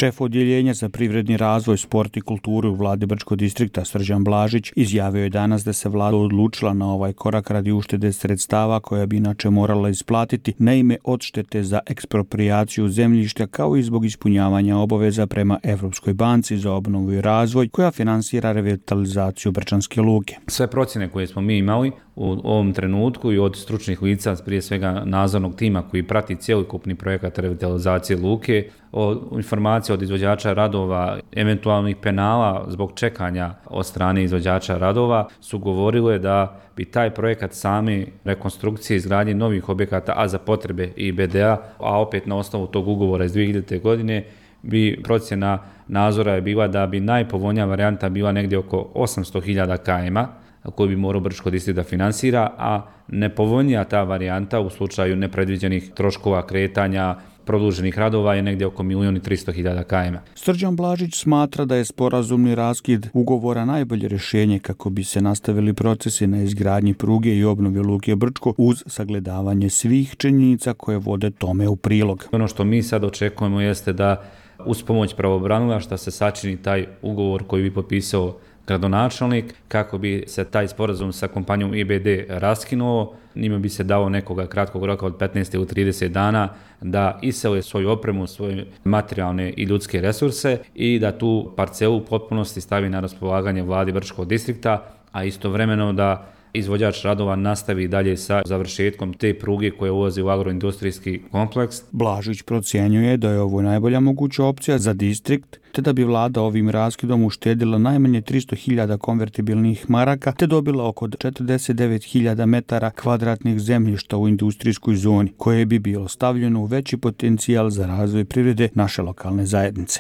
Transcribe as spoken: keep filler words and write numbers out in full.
Šef odjeljenja za privredni razvoj, sport i kulturu u vladi Brčkog distrikta Srđan Blažić izjavio je danas da se vlada odlučila na ovaj korak radi uštede sredstava koja bi inače morala isplatiti na ime odštete za eksproprijaciju zemljišta kao i zbog ispunjavanja obaveza prema Evropskoj banci za obnovu i razvoj koja finansira revitalizaciju Brčanske luke. Sve procjene koje smo mi imali u ovom trenutku i od stručnih lica, prije svega nadzornog tima koji prati cjelokupni projekat revitalizacije luke, o informacije od izvođača radova, eventualnih penala zbog čekanja od strane izvođača radova, su govorile da bi taj projekat same rekonstrukcije i izgradnje novih objekata, a za potrebe I B D-a, a opet na osnovu tog ugovora iz dvije hiljadite. godine, bi procjena nadzora je bila da bi najpovoljnija varijanta bila negdje oko osamsto hiljada km koju bi morao Brčko distrikt da finansira, a nepovoljnija ta varijanta u slučaju nepredviđenih troškova kretanja, produženih radova je negdje oko milijon i tristo hiljada km. Srđan Blažić smatra da je sporazumni raskid ugovora najbolje rješenje kako bi se nastavili procesi na izgradnji pruge i obnovi luke Brčko uz sagledavanje svih činjenica koje vode tome u prilog. Ono što mi sad očekujemo jeste da uz pomoć pravobranilaštva se sačini taj ugovor koji bi potpisao gradonačelnik kako bi se taj sporazum sa kompanijom I B D raskinuo. Njima bi se dao nekoga kratkog roka od petnaest ili trideset dana da isele svoju opremu, svoje materijalne i ljudske resurse i da tu parcelu u potpunosti stavi na raspolaganje vladi Brčkog distrikta, a istovremeno da izvođač radova nastavi dalje sa završetkom te pruge koja ulazi u agroindustrijski kompleks. Blažić procjenjuje da je ovo najbolja moguća opcija za distrikt, te da bi vlada ovim raskidom uštedila najmanje tristo hiljada konvertibilnih maraka, te dobila oko četrdeset devet hiljada metara kvadratnih zemljišta u industrijskoj zoni, koje bi bilo stavljeno u veći potencijal za razvoj privrede naše lokalne zajednice.